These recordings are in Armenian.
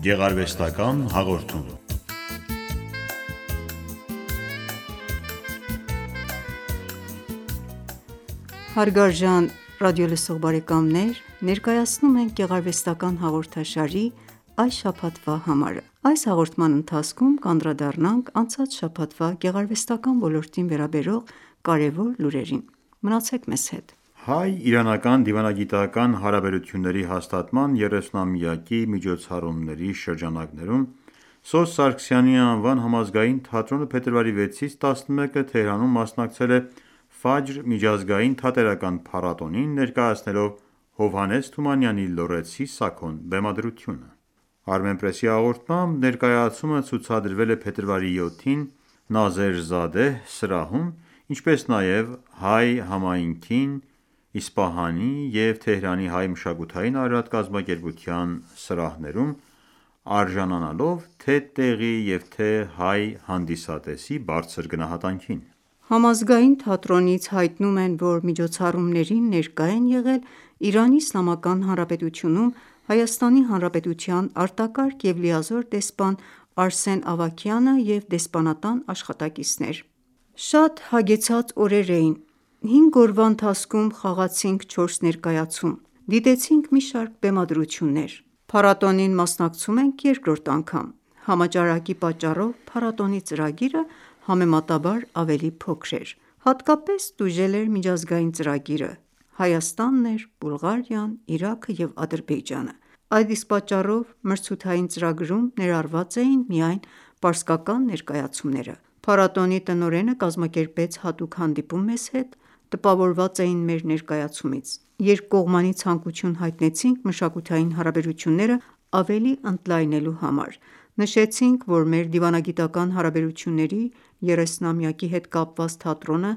Գեղարվեստական հաղորդում։ Հարգարժան ռադիոլսող բարեկամներ, ներկայացնում ենք գեղարվեստական հաղորդաշարի այս շաբաթվա համարը։ Այս հաղորդման ընթացքում կանդրադառնանք անցած շաբաթվա գեղարվեստական ոլորտին վերաբերող կարևոր լուրերին։ Մնացեք մեզ հետ։ Հայ-իրանական դիվանագիտական հարաբերությունների հաստատման 30-ամյակի միջոցառումների շրջանակներում Սոս Սարգսյանի անվան համազգային թատրոնը փետրվարի 6-ից 11-ը Թեհրանում մասնակցել է Ֆաջր միջազգային թատերական փառատոնին, ներկայացնելով Հովհաննես Թումանյանի «Լոռեցի Սաքոն» բեմադրությունը։ Armenpress-ի հաղորդմամբ ներկայացումը ցուցադրվել է փետրվարի 7-ին Նազեր սրահում, ինչպես նաև հայ համայնքին Իսպահանի և Թեհրանի հայ մշակութային արժանապատվական սրահներում, արժանանալով թե՛ տեղի և թե՛ հայ հանդիսատեսի բարձր գնահատանքին։ Համազգային թատրոնից հայտնում են, որ միջոցառումներին ներկա են եղել Իրանի Իսլամական Հանրապետությունում Հայաստանի Հանրապետության արտակարգ և լիազոր դեսպան Արսեն Ավագյանը և դեսպանատան աշխատակիցներ։ Շատ հագեցած օրեր էին։ 5 օրվա ընթացքում խաղացինք 4 ներկայացում, դիտեցինք մի շարք բեմադրություններ։ Փառատոնին մասնակցում ենք երկրորդ անգամ։ Համաճարակի պատճառով փառատոնի ծրագիրը համեմատաբար ավելի փոքր էր։ Հատկապես տուժել էր միջազգային ծրագիրը։ Հայաստանն էր, Բուլղարիան, Իրաքը և Ադրբեջանը։ Այդ իսկ պատճառով մրցութային ծրագրում ներառված էին միայն պարսկական ներկայացումները։ Փառատոնի տնօրենը կազմակերպեց հատուկ հանդիպում մեզ հետ, տպավորված էին մեր ներկայացումից։ Երկկողմանի ցանկություն հայտնեցինք մշակութային հարաբերությունները ավելի ընդլայնելու համար։ Նշեցինք, որ մեր դիվանագիտական հարաբերությունների 30-ամյակի հետ կապված թատրոնը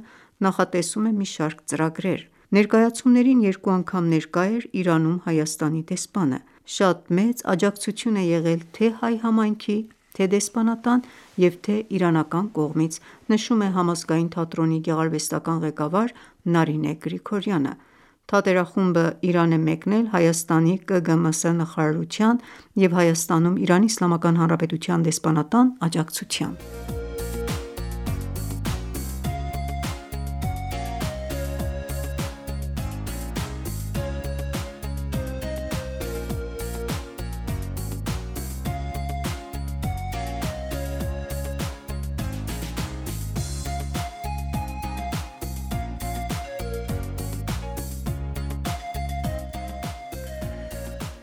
նախատեսում է մի շարք ծրագրեր։ Ներկայացումներին 2 անգամ ներկա էր Իրանում Հայաստանի դեսպանը։ Շատ մեծ աջակցություն է եղել թե՛ հայ համայնքի, թե՛ դեսպանատան և թե՛ իրանական կողմից, նշում է Համազգային թատրոնի գեղարվեստական ղեկավար Նարինե Գրիգորյանը։ Թատերախումբը Իրան է մեկնել Հայաստանի ԿԳՄՍ նախարարության և Հայաստանում Իրանի Իսլամական Հանրապետության դեսպանատան աջակցությամբ։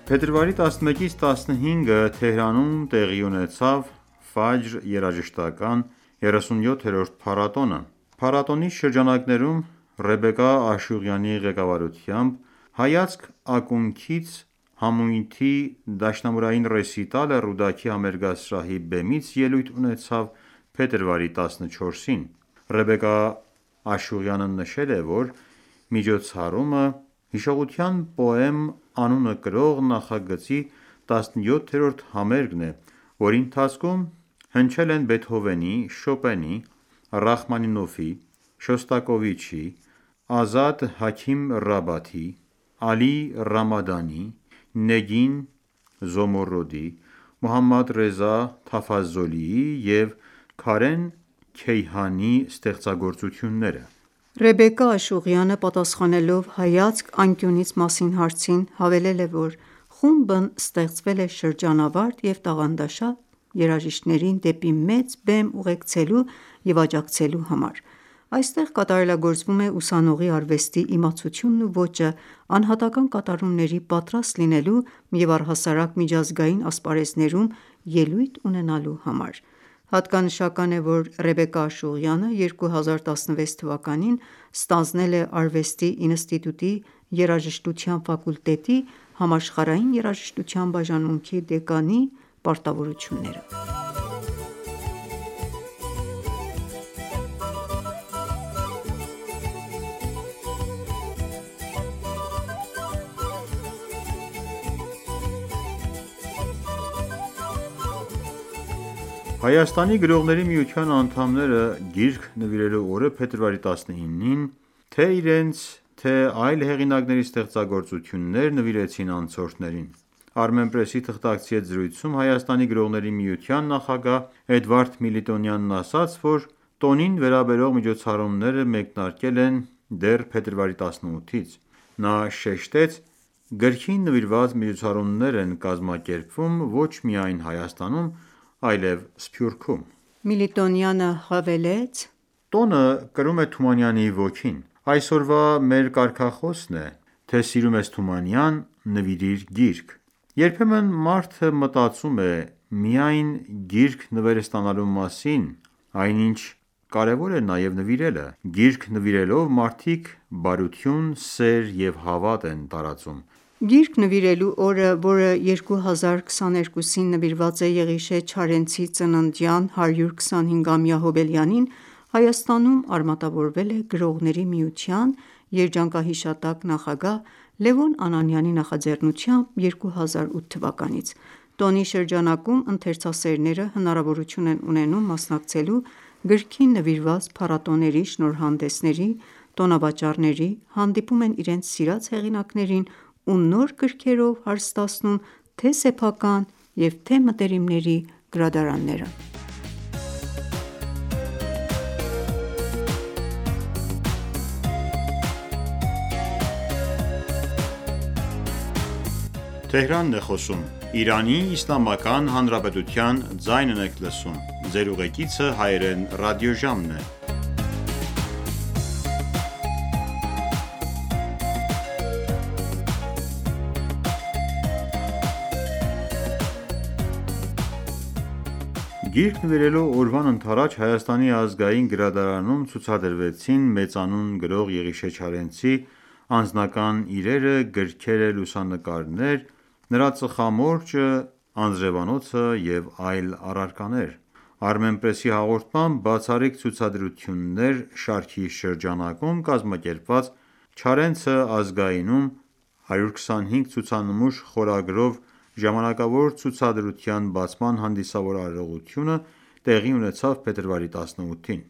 Փետրվարի 11-ից 15-ը Թեհրանում տեղի ունեցավ Ֆաջր երաժշտական 37-րդ փառատոնը։ Փառատոնի շրջանակներում Ռեբեկա Աշուղյանի ղեկավարությամբ «Հայացք ակունքից» համույթի դաշնամուրային ռեսիտալը Ռուդաքի համերգասրահի բեմից ելույթ ունեցավ փետրվարի 14-ին։ Ռեբեկա Աշուղյանը նշել է, որ միջոցառումը հիշողության պոեմ անունը կրող նախագծի 17-րդ համերգն է, որի ընթացքում հնչել են Բեթհովենի, Շոպենի, Ռախմանինովի, Շոստակովիչի, Ազադ Հաքիմ Ռաբաթի, Ալի Ռամադանի, Նեգին Զոմորոդի, Մոհամմադ Ռեզա Թաֆազոլիի և Քարեն Քեյհանի ստեղծագործությունները։ Ռեբեկա Աշուղյանը պատասխանելով «Հայացք անկյունից» մասին հարցին, հավելել է, որ խումբն ստեղծվել է շրջանավարտ և տաղանդաշատ երաժիշտներին դեպի մեծ բեմ ուղեկցելու և աջակցելու համար։ Այստեղ կատարելագործվում է ուսանողի արվեստի իմացությունն ու ոճը անհատական կատարումների պատրաստ լինելու և առհասարակ միջազգային ասպարեզներում ելույթ ունենալու համար։ Հատկանշական է, որ Ռեբեկա Աշուղյանը 2016 թվականին ստանձնել է Արվեստի ինստիտուտի երաժշտության ֆակուլտետի համաշխարհային երաժշտության բաժանմունքի դեկանի պարտավորությունները։ Հայաստանի գրողների միության անդամները գիրք նվիրելու օրը փետրվարի 19-ին թե՛ իրենց, թե՛ այլ հեղինակների ստեղծագործություններ նվիրեցին անցորդներին։ Armenpress-ի թղթակցի հետ զրույցում Հայաստանի գրողների միության նախագահ Էդվարդ Միլիտոնյանն ասաց, որ տոնին վերաբերող միջոցառումները մեկնարկել են դեռ փետրվարի 18-ից: Նա շեշտեց. «Գրքին նվիրված միջոցառումներ են կազմակերպվում ոչ միայն Հայաստանում, այլև Սփյուռքում»: Միլիտոնյանը հավելեց. «Տոնը կրում է Թումանյանի ոգին: Այսօրվա մեր կարգախոսն է, թե սիրում ես Թումանյան, նվիրիր գիրք: Երբեմն մարդը մտածում է միայն գիրք նվեր ստանալու մասին, այնինչ կարևոր է նաև նվիրելը: Գիրք նվիրելով մարդիկ բարություն, սեր և հավատ են տարածում»: Գիրք նվիրելու օրը, որը 2022-ին նվիրված է Եղիշե Չարենցի ծննդյան 125-ամյա հոբելյանին, Հայաստանում արմատավորվել է Գրողների միության երջանկահիշատակ նախագահ Լևոն Անանյանի նախաձեռնությամբ 2008 թվականից: Տոնի շրջանակում ընթերցասերները հնարավորություն են ունենում մասնակցելու գրքին նվիրված փառատոների, շնորհանդեսների, տոնավաճառների, հանդիպում են իրենց սիրած հեղինակներին ու նոր գրքերով հարստացնում թե՛ սեփական և թե՛ մտերիմների գրադարանները: Գիրք նվիրելու օրվան ընդառաջ Հայաստանի ազգային գրադարանում ցուցադրվեցին մեծանուն գրող Եղիշե Չարենցի անձնական իրերը, գրքերը, լուսանկարներ, նրա ծխամորճը, անձրևանոցը և այլ առարկաներ: Armenpress-ի հաղորդմամբ «Բացառիկ ցուցադրություններ» շարքի շրջանակում կազմակերպված «Չարենցը ազգայինում 125 ցուցանմուշ» խորագրով ժամանակավոր ցուցադրության բացման հանդիսավոր արարողությունը տեղի ունեցավ փետրվարի 18-ին: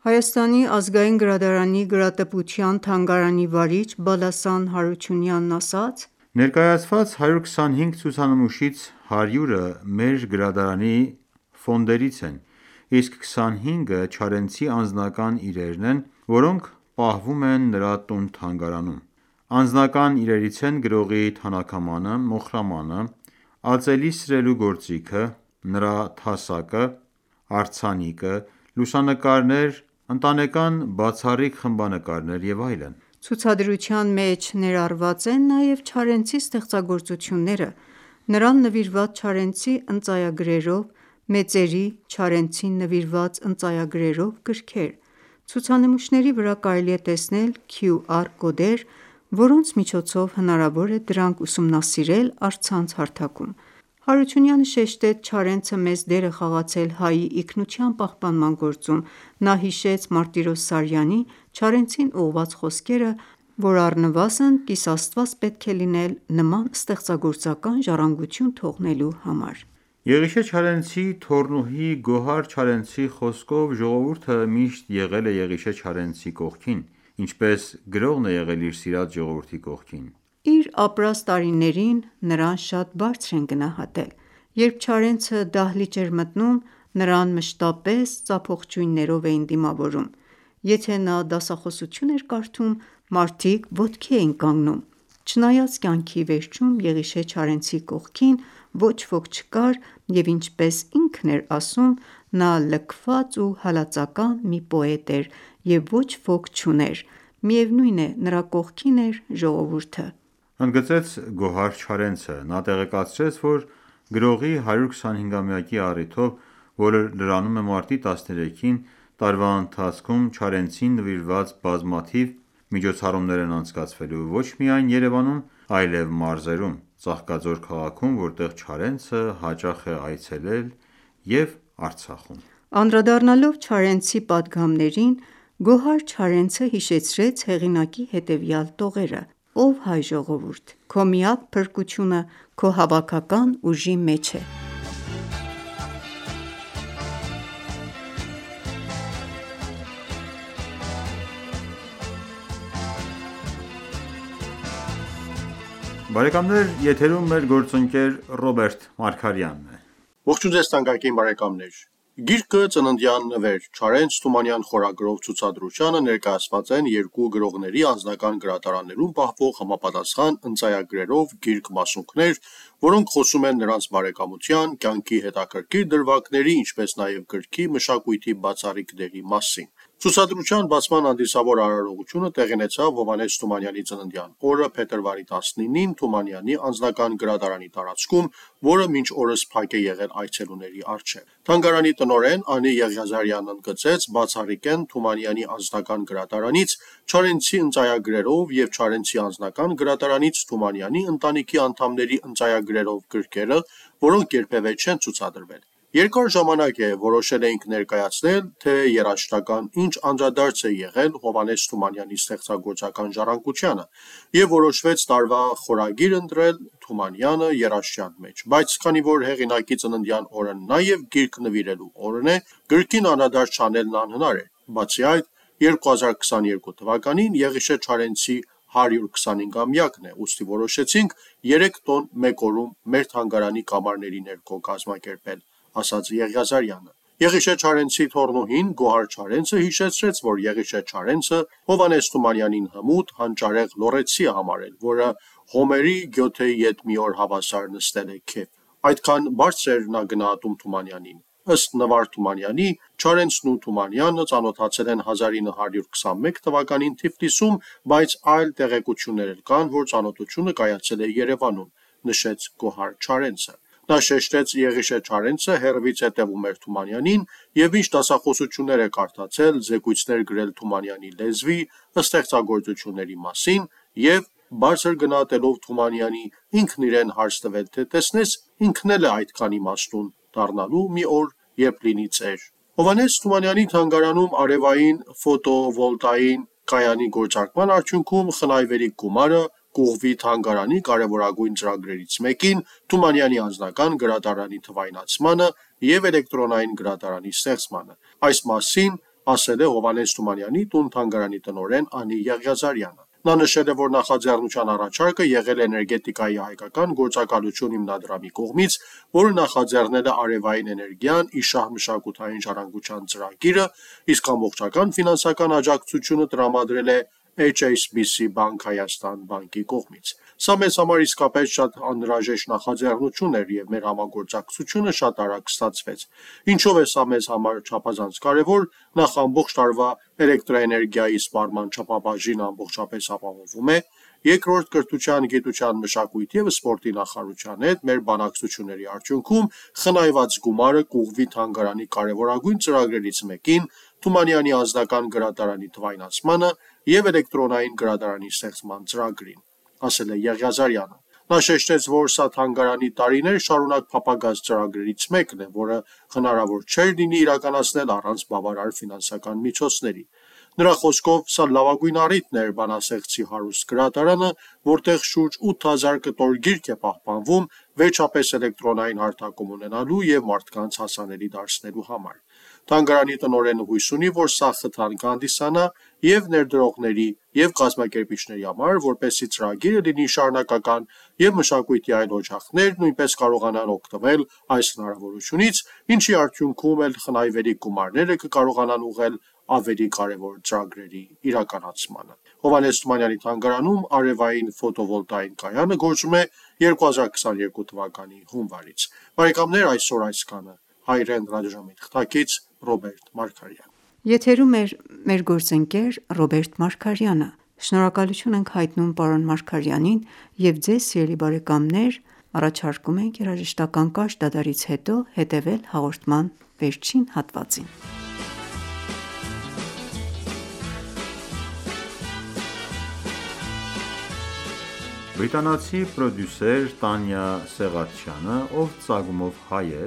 Հայաստանի ազգային գրադարանի գրատպության թանգարանի վարիչ Բալասան Հարությունյանն ասաց. «Ներկայացված 125 ցուցանմուշից 100-ը մեր գրադարանի ֆոնդերից են, իսկ 25-ը Չարենցի անձնական իրերն են, որոնք պահվում են նրա տուն-թանգարանում: Անձնական իրերից են գրողի թանաքամանը, մոխրամանը, ածելի սրելու գործիքը, նրա թասակը, արձանիկը, լուսանկարներ, ընտանեկան բացառիկ խմբանկարներ և այլն»: Ցուցադրության մեջ ներառված են նաև Չարենցի ստեղծագործությունները, նրան նվիրված Չարենցի ընծայագրերով, մեծերի, Չարենցին նվիրված ընծայագրերով գրքեր: Ցուցանմուշների վրա կարելի է տեսնել QR կոդեր, որոնց միջոցով հնարավոր է դրանք ուսումնասիրել առցանց հարթակում: Հարությունյանը շեշտեց Չարենցը մեծ դեր է խաղացել հայի ինքնության պահպանման գործում: Նա հիշեց Մարտիրոս Սարյանի Չարենցին ուղղված խոսքերը, որ առնվազն կիսաստված պետք է լինել նման ստեղծագործական ժառանգություն թողնելու համար: Եղիշե Չարենցի թոռնուհի Գոհար Չարենցի խոսքով ժողովուրդը միշտ եղել է Եղիշե Չարենցի կողքին, ինչպես գրողն է եղել իր սիրած ժողովրդի կողքին: Իր ապրած տարիներին նրան շատ բարձր են գնահատել: Երբ Չարենցը դահլիճ էր մտնում, նրան մշտապես ծափողջույններով էին դիմավորում: Եթե նա դասախոսություն էր կարդում, մարդիկ ոտքի էին կանգնում: Չնայած կյանքի վերջում Եղիշե Չարենցի կողքին ոչ ոք չկար և ինչպես ինքն էր ասում, նա լքված ու հալածական մի պոետ էր և ոչ ոք չուներ, միևնույն է նրա կողքին էր ժողովուրդը: Ընդգծեց Գոհար Չարենցը: Նա տեղեկացրեց, որ գրողի 125-ամյակի առիթով, որը լրանում է մարտի 13-ին, տարվա ընթացքում Չարենցին նվիրված բազմաթիվ միջոցառումներ են անցկացվելու ոչ միայն Երևանում, այլև մարզերում, Ծաղկաձոր քաղաքում, որտեղ Չարենցը հաճախ է այցելել և Արցախում: Անդրադառնալով Չարենցի պատգամներին, Գոհար Չարենցը հիշեցրեց հեղինակի հետևյալ տողերը. «Ով հայ ժողովուրդ, քո միակ փրկությունը քո հավաքական ուժի մեջ է: Բարեկամներ, եթերում մեր գործընկեր Ռոբերտ Մարգարյանն է։ Ողջույն ձեզ թանկագին բարեկամներ։ Գիրքը «Ծննդյան նվեր» Չարենց Թումանյան խորագրով ցուցադրությանը ներկայացված են երկու գրողների անձնական գրադարաններում պահվող համապատասխան ընծայագրերով գիրք մասունքներ, որոնք խոսում են նրանց բարեկամության, կյանքի հետաքրքիր դրվագների, ինչպես նաև գրքի մշակույթի բացառիկ դերի մասին։ Ցուցադրության բացման հանդիսավոր արարողությունը տեղի ունեցավ Հովհաննես Թումանյանի ծննդյան օրը փետրվարի 19-ին Թումանյանի անձնական գրադարանի տարածքում, որը մինչ օրս փակ է եղել այցելուների առջև։ Թանգարանի տնօրեն Անի Եղիազարյանն ընդգծեց բացառիկ են Թումանյանի անձնական գրադարանից Չարենցի ընծայագրերով և Չարենցի անձնական գրադարանից Թումանյանի ընտանիքի անդամների ընծայագրերով գրքերը, որոնք երբևէ չեն ցուցադրվել։ Երկար ժամանակ է որոշել էինք ներկայացնել, թե երաժշտական ինչ անդրադարձ է եղել Հովհաննես Թումանյանի ստեղծագործական ժառանգությանը, և որոշվեց տարվա խորագիր ընտրել Թումանյանը երաժշտության մեջ, բայց քանի որ հեղինակի ծննդյան օրը նաև գիրք նվիրելու օրն է, գրքին անդրադարձ չանելն անհնար էր։ Բացի այդ, 2022 թվականին Եղիշե Չարենցի 125-ամյակն է, ուստի որոշեցինք 3 տոն մեկ օրում մեր թանգարանի կամարների ներքո կազմակերպել, ասաց Եղիազարյանը։ Եղիշե Չարենցի թոռնուհին Գոհար Չարենցը հիշեցրեց, որ Եղիշե Չարենցը Հովհաննես Թումանյանին հմուտ, հանճարեղ լոռեցի է համարել, որը Հոմերի Գյոթեի հետ մի օր հավասար նստել է քեֆ։ Այդքան բարձր էր նա գնահատում Թումանյանին։ Ըստ Նվար Թումանյանի, Չարենցն ու Թումանյանը ծանոթացել են 1921 թվականին Թիֆլիսում, բայց այլ տեղեկություններ էլ կան, որ ծանոթությունը կայացել է Երևանում, նշեց Գոհար Չարենցը։ Նա շեշտեց Եղիշե Չարենցը հեռվից հետևում էր Թումանյանին և ինչ դասախոսություններ է կարդացել, զեկույցներ գրել Թումանյանի լեզվի, ստեղծագործությունների մասին և բարձր գնահատելով Թումանյանի ինքն իրեն հարց տվել, թե տեսնես ինքն էլ է այդքան իմաստուն դառնալու մի օր, երբ լինի ծեր։ Հովհաննես Թումանյանի թանգարանում արևային ֆոտովոլտային կայանի գործարկման արդյունքում խնայվելիք գումարը կուղղվի թանգարանի կարևորագույն ծրագրերից մեկին՝ Թումանյանի անձնական գրադարանի թվայնացմանը և էլեկտրոնային գրադարանի ստեղծմանը։ Այս մասին ասել է Հովհաննես Թումանյանի տուն-թանգարանի տնօրեն Անի Եղիազարյանը։ Նա նշել է, որ նախաձեռնության առաջարկը եղել է Էներգետիկայի հայկական գործակալություն հիմնադրամի կողմից, որը նախաձեռնել է արևային էներգիան ի շահ մշակութային ժառանգության ծրագիրը, իսկ ամբողջական ֆինանսական աջակցությունը տրամադրել է HSBC Bank Հայաստան բանկի կողմից։ Սա մեզ համար իսկապես շատ անհրաժեշտ նախաձեռնություն էր և մեր համագործակցությունը շատ արագ ստացվեց։ Ինչով է սա մեզ համար չափազանց կարևոր, նախ ամբողջ տարվա էլեկտրաէներգիայի սպառման չափաբաժինը ամբողջապես ապահովում է, երկրորդ կրթության, գիտության, մշակույթի և սպորտի նախարարության հետ մեր բանակցությունների արդյունքում խնայված գումարը կուղղվի թանգարանի կարևորագույն ծրագրերից մեկին՝ Թումանյանի անձնական գրադարանի թվայնացմանը և էլեկտրոնային գրադարանի ստեղծման ծրագրին, ասել է Եղիազարյանը։ Նա շեշտեց, որ սա թանգարանի տարիներ շարունակ փափագած ծրագրերից մեկն է, որը հնարավոր չէր լինի իրականացնել առանց բավարար ֆինանսական միջոցների։ Նրա խոսքով, սա լավագույն առիթն էր բանաստեղծի հարուստ գրադարանը, որտեղ շուրջ 8000 կտոր գիրք է պահպանվում, վերջապես էլեկտրոնային հարթակում ունենալու և մարդկանց հասանելի դարձնելու համար։ Թանգարանի տնօրենը հույս ունի, որ սա խթան կհանդիսանա և ներդրողների, և կազմակերպիչների համար, որպեսզի ծրագիրը լինի շարունակական, և մշակույթի այլ օջախներ նույնպես կարողանան օգտվել այս հնարավորությունից, ինչի արդյունքում էլ խնայվելիք գումարները կկարողանան ուղղել ավելի կարևոր ծրագրերի իրականացմանը։ Հովհաննես Թումանյանի թանգարանում արևային ֆոտովոլտային կայանը գործում է 2022 թվականի հունվարից։ Բարեկամներ, այսօր այսքանը։ Հայրեն ռադիոժամի թղթակից Ռոբերտ Մարգարյան։ Եթերում էր մեր գործընկեր Ռոբերտ Մարգարյանը։ Շնորհակալություն ենք հայտնում պարոն Մարգարյանին և ձեզ սիրելի բարեկամներ առաջարկում ենք երաժշտական կարճ դադարից հետո հետևել հաղորդման վերջին հատվածին։ Բրիտանացի պրոդյուսեր Տանյա Սեղաթչյանը, ով ծագումով հայ է,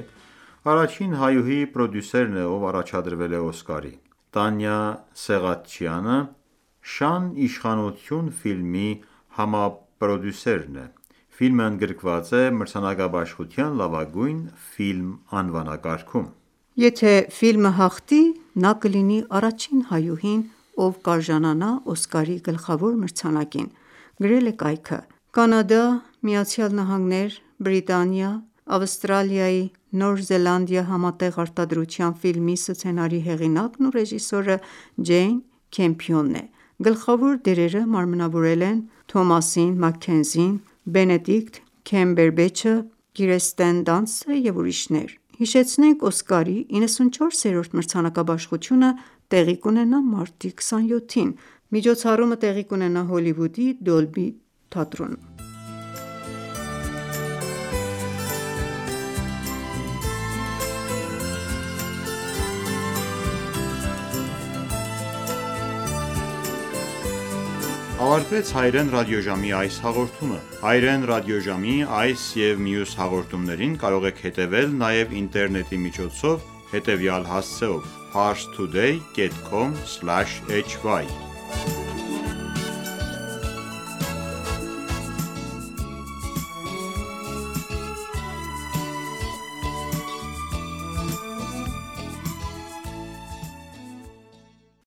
առաջին հայուհի պրոդյուսերն է, ով առաջադրվել է Օսկարի։ Տանյա Սեղաթչյանը «Շան իշխանություն» ֆիլմի համապրոդյուսերն է։ Ֆիլմը ընդգրկված է մրցանակաբաշխության լավագույն ֆիլմ անվանակարգում։ Եթե ֆիլմը հաղթի, նա կլինի առաջին հայուհին, ով կարժանանա Օսկարի գլխավոր մրցանակին, գրել է կայքը։ Կանադա, ԱՄՆ, Բրիտանիա, Ավստրալիայի Նոր Զելանդիա համատեղ արտադրության ֆիլմի սցենարի հեղինակն ու ռեժիսորը Ջեյն Քեմփիոնն է։ Գլխավոր դերերը մարմնավորել են Թոմասին Մաքքենզին, Բենեդիկտ Քեմբերբեչը, Կիրստեն Դանստը և ուրիշներ։ Հիշեցնենք Օսկարի 94-րդ մրցանակաբաշխությունը տեղի կունենա մարտի 27-ին։ Միջոցառումը տեղի կունենա Հոլիվուդի Դոլբի թատրոնում։ Ավարտվեց Հայրեն ռադիոժամի այս հաղորդումը։ Հայրեն ռադիոժամի այս և մյուս հաղորդումներին կարող եք հետևել նաև ինտերնետի միջոցով հետևյալ հասցեով՝ parstoday.com/hy